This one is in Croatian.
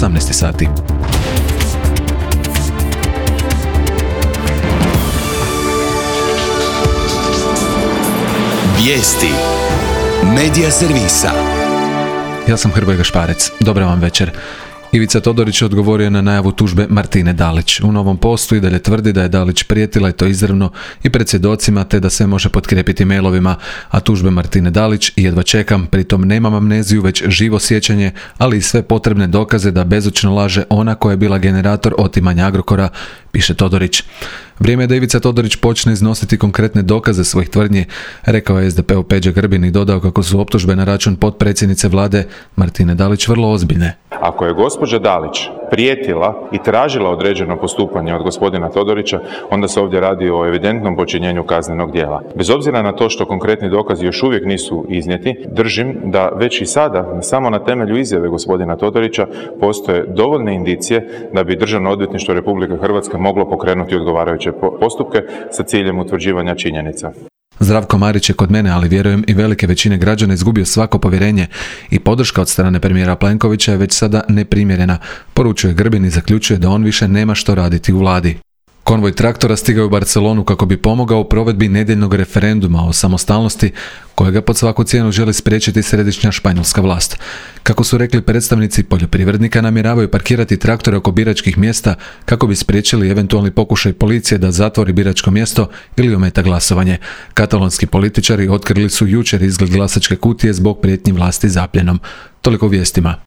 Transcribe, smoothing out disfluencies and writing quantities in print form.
18 sati. Vijesti Medija servisa. Ja sam Hrvoje Gašparec. Dobar vam večer. Ivica Todorić odgovorio na najavu tužbe Martine Dalić. U novom postu i dalje tvrdi da je Dalić prijetila i to izravno i pred svjedocima, te da se može potkrijepiti mailovima, a tužbe Martine Dalić jedva čekam, pritom nemam amneziju već živo sjećanje, ali i sve potrebne dokaze da bezočno laže ona koja je bila generator otimanja Agrokora, piše Todorić. Vrijeme je da Ivica Todorić počne iznositi konkretne dokaze svojih tvrdnji, rekao je SDP-u Peđa Grbin i dodao kako su optužbe na račun potpredsjednice vlade Martine Dalić vrlo ozbiljne. Ako je gospođa Dalić prijetila i tražila određeno postupanje od gospodina Todorića, onda se ovdje radi o evidentnom počinjenju kaznenog djela. Bez obzira na to što konkretni dokazi još uvijek nisu iznijeti, držim da već i sada, samo na temelju izjave gospodina Todorića, postoje dovoljne indicije da bi Državno odvjetništvo Republike Hrvatske moglo pokrenuti odgovarajuće postupke sa ciljem utvrđivanja činjenica. Zdravko Marić je kod mene, ali vjerujem i velike većine građana, izgubio svako povjerenje i podrška od strane premijera Plenkovića je već sada neprimjerena, poručuje Grbin i zaključuje da on više nema što raditi u vladi. Konvoj traktora stigao u Barcelonu kako bi pomogao u provedbi nedjeljnog referenduma o samostalnosti kojega pod svaku cijenu želi spriječiti središnja španjolska vlast. Kako su rekli predstavnici poljoprivrednika, namjeravaju parkirati traktore oko biračkih mjesta kako bi spriječili eventualni pokušaj policije da zatvori biračko mjesto ili ometa glasovanje. Katalonski političari otkrili su jučer izgled glasačke kutije zbog prijetnji vlasti zapljenom. Toliko u vijestima.